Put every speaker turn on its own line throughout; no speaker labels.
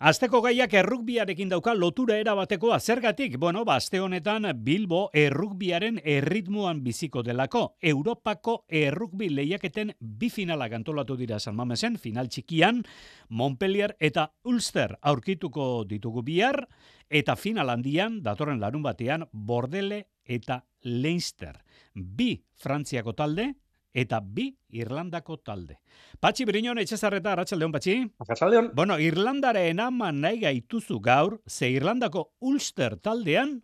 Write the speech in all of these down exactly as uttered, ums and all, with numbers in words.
Asteko gaiak errugbiarekin dauka lotura erabatekoa. Zergatik? Bueno, ba, aste honetan Bilbo errugbiaren erritmoan biziko delako. Europako errugbi lehiaketen bi finalak antolatu dira San Mamesen, final txikian, Montpellier eta Ulster aurkituko ditugu bihar, eta final handian, datorren larun batean, Bordele eta Leinster. Bi Frantziako talde, eta bi Irlandako talde. Patxi Briñon, Etxezarreta, arratsaldeon, Patxi.
Arratsaldeon.
Bueno, Irlandaren ama nahi gaituzu gaur, ze Irlandako Ulster taldean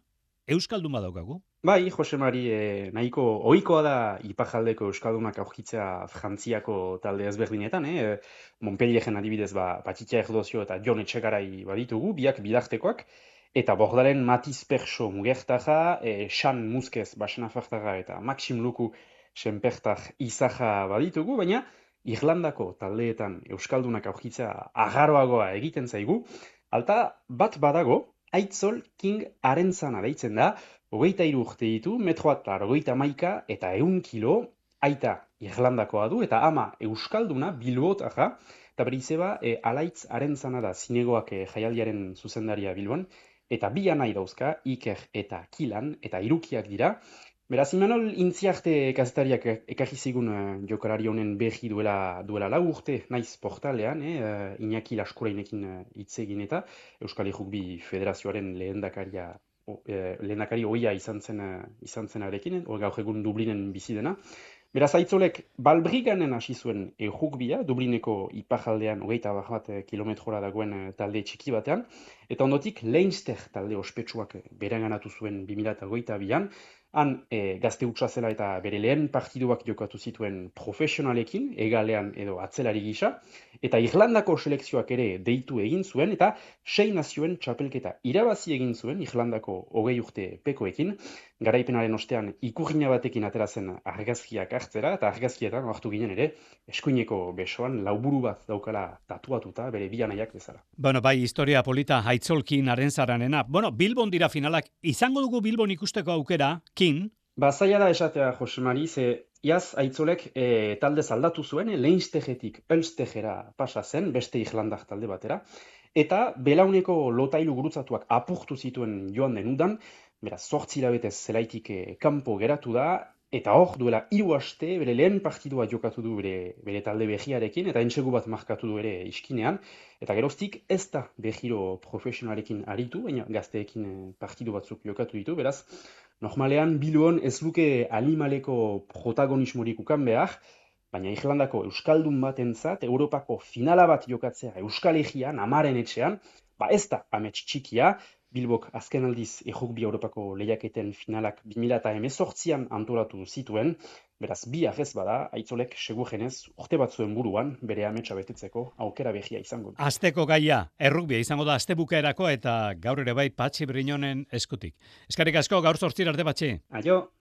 euskaldun badaukagu.
Bai, Jose Mari, eh, nahiko ohikoa da ipajaldeko euskaldunak aurkitzea Frantziako talde ezberdinetan, eh? Montpellieren adibidez, ba, Patxitia Erdozio eta Jon Etxegarai baditugu, biak bidartekoak, eta Bordalen Matiz Perso Mugertaja, eh, Xan Muskez Baxenafartaga eta Maxim Luku Senpertar Izaja baditugu, baina Irlandako taldeetan euskaldunak aurkitzea agarroagoa egiten zaigu, alta bat badago, Aitzol King Arentzana deitzen da, hogeita hiru urte ditu, metro eta hogeita hamaika eta ehun kilo, aita Irlandakoa du, eta ama euskalduna Bilbotarra, eta bere izeba e, Alaitz Arentzana da zinegoak e, jaialdiaren zuzendaria Bilbon, eta bi anai dauzka, Iker eta Kilan, eta irukiak dira. Beraz, Imanol Intziarte kazetariak ekarri zigun uh, jokalari honen berri duela, duela lau urte naiz portalean, eh, uh, Iñaki Laskurainekin hitz uh, egin eta Euskal Rugby Federazioaren lehendakaria o, eh, lehendakari ohia izan zen uh, izan zenarekin, hor gaur egun Dublinen bizi dena. Beraz, Aitzolek Balbriganen hasi zuen errugbia, Dublineko iparraldean hogeita bat kilometrora dagoen uh, talde txiki batean, eta ondotik Leinster talde ospetsuak beranganatu zuen bi mila hogeita bian, han e, gazte hutsa zela eta bere lehen partiduak jokatu zituen profesionalekin, egalean edo atzelari gisa, eta Irlandako selekzioak ere deitu egin zuen, eta sei nazioen txapelketa irabazi egin zuen Irlandako hogei urte pekoekin, garaipenaren ostean ikurrina batekin atera zen argazkiak hartzera, eta argazkietan hartu ginen ere, eskuineko besoan lauburu bat daukala tatuatuta bere bi anaiak bezala.
Bueno, bai, historia polita Aitzolkin Arentzaranena. Bueno, Bilbon dira finalak. Izango dugu Bilbon ikusteko aukera, Kin?
Ba, zaila da esatea, Jose Mari, ze iaz Aitzolek e, talde zaldatu zuen, e, Leinsterretik Ulsterrera pasa zen, beste Irlandar talde batera, eta belauneko lotailu gurutzatuak apurtu zituen joan den udan, beraz, zortzi hilabetez zelaitik e, kanpo geratu da, eta hor duela hiru aste bere lehen partidua jokatu du bere, bere talde behiarekin, eta entsegu bat markatu du ere iskinean, eta geroztik ez da behiro profesionalekin aritu, baina gazteekin partidu batzuk jokatu ditu, beraz, normalean Bilbon ez luke animaleko protagonismorik ukan behar, baina Irlandako euskaldun batentzat Europako finala bat jokatzea Euskal Herrian, amaren etxean, ba ez da amets txikia. Bilbok azken aldiz errugbi Europako lehiaketen finalak bi mila hemezortzian antolatu zituen, beraz bi ez bada, Aitzolek segurenez urte batzuen buruan bere ametsa betetzeko aukera behia izango.
Asteko gaia, errugbia izango da astebukaerako eta gaur ere bai Patxi Briñonen eskutik. Eskerrik asko, gaur zortzira arte, Patxi.
Aio!